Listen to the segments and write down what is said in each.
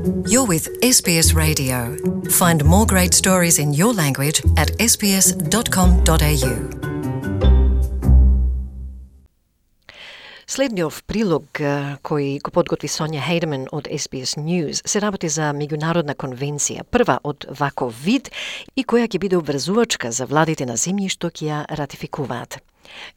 You're with SBS Radio. Find more great stories in your language at sbs.com.au. Следниот прилог кој го подготви Сонја Хейдман од SBS News се работи за меѓународна конвенција, прва од ваков вид и која ќе биде обврзувачка за владите на земји што ќе ја ратификуваат.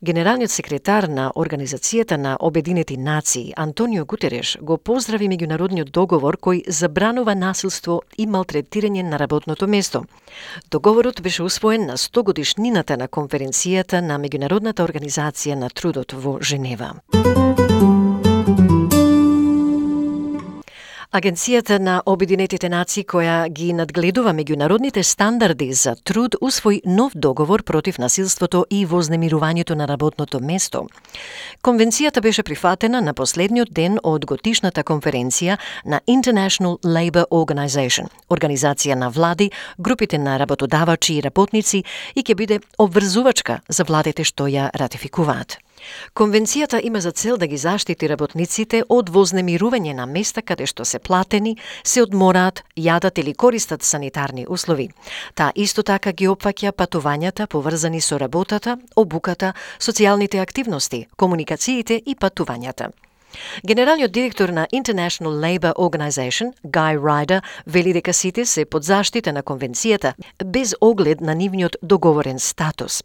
Генералниот секретар на Организацијата на Обединети нации Антонио Гутереш го поздрави меѓународниот договор кој забранува насилство и малтретирање на работното место. Договорот беше усвоен на 100 годишнината на конференцијата на Меѓународната организација на трудот во Женева. Агенцијата на Обединетите нации која ги надгледува меѓународните стандарди за труд усвои нов договор против насилството и вознемирувањето на работното место. Конвенцијата беше прифатена на последниот ден од годишната конференција на International Labour Organization, организација на влади, групите на работодавачи и работници и ќе биде обврзувачка за владите што ја ратификуваат. Конвенцијата има за цел да ги заштити работниците од вознемирување на места каде што се платени, се одмораат, јадат или користат санитарни услови. Таа исто така ги опфаќа патувањата поврзани со работата, обуката, социјалните активности, комуникациите и патувањата. Генералниот директор на International Labour Organization, Guy Ryder, вели дека сите се под заштита на конвенцијата, без оглед на нивниот договорен статус.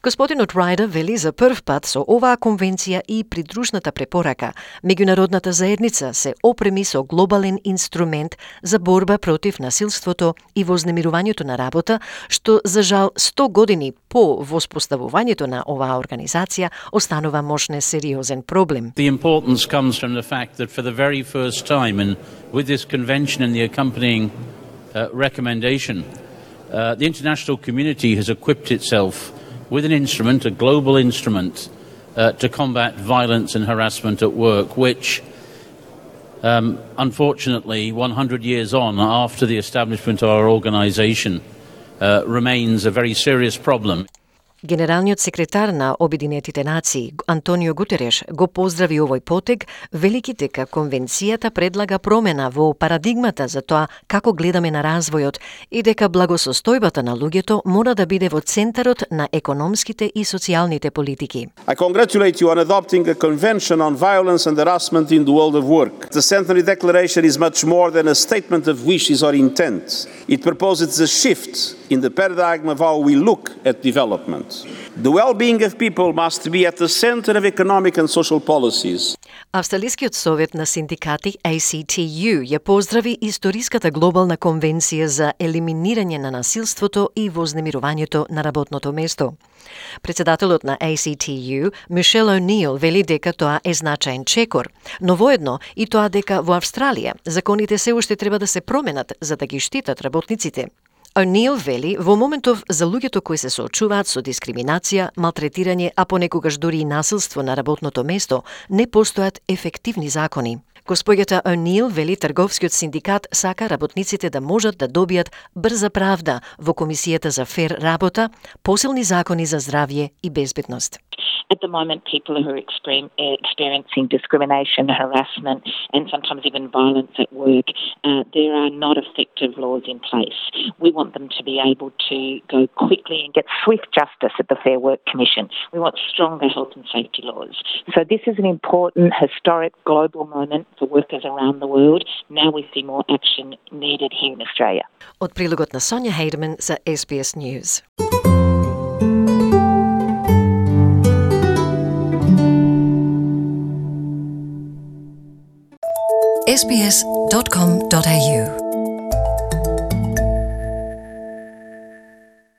Господинот Ryder вели за прв пат со оваа конвенција и придружната препорака, меѓународната заедница се опреми со глобален инструмент за борба против насилството и вознемирувањето на работа, што за жал 100 години по воспоставувањето на оваа организација останува можне сериозен проблем. The importance comes from the fact that for the very first time, and with this convention and the accompanying recommendation, the international community has equipped itself with an instrument, a global instrument, to combat violence and harassment at work, which, unfortunately, 100 years on after the establishment of our organisation, remains a very serious problem. Генералниот секретар на Обединетите нации Антонио Гутереш го поздрави овој потег, велики дека конвенцијата предлага промена во парадигмата за тоа како гледаме на развојот и дека благосостојбата на луѓето мора да биде во центарот на економските и социјалните политики. I congratulate you on adopting a convention on violence and harassment in the world of work. The Centenary Declaration is much more than a statement of wishes or intent. It proposes a shift in the paradigm of how we look at development. The well-being of people must be at the center of economic and social policies. Австралискиот совет на синдикати ACTU ја поздрави историската глобална конвенција за елиминирање на насилството и вознемирувањето на работното место. Председателот на ACTU, Мишел О'Нил, вели дека тоа е значаен чекор, но воедно и тоа дека во Австралија законите се уште треба да се променат за да ги штитат работниците. О'Нил вели, во моментов за луѓето кои се соочуваат со дискриминација, малтретирање, а понекогаш дури и насилство на работното место, не постојат ефективни закони. Госпоѓата О'Нил вели трговскиот синдикат сака работниците да можат да добијат брза правда во Комисијата за фер работа, посилни закони за здравје и безбедност. At the moment, people who are experiencing discrimination, harassment, and sometimes even violence at work, there are not effective laws in place. We want them to be able to go quickly and get swift justice at the Fair Work Commission. We want stronger health and safety laws. So this is an important, historic, global moment for workers around the world. Now we see more action needed here in Australia. Од прилогот на Сонја Хейдман за SBS News. sbs.com.au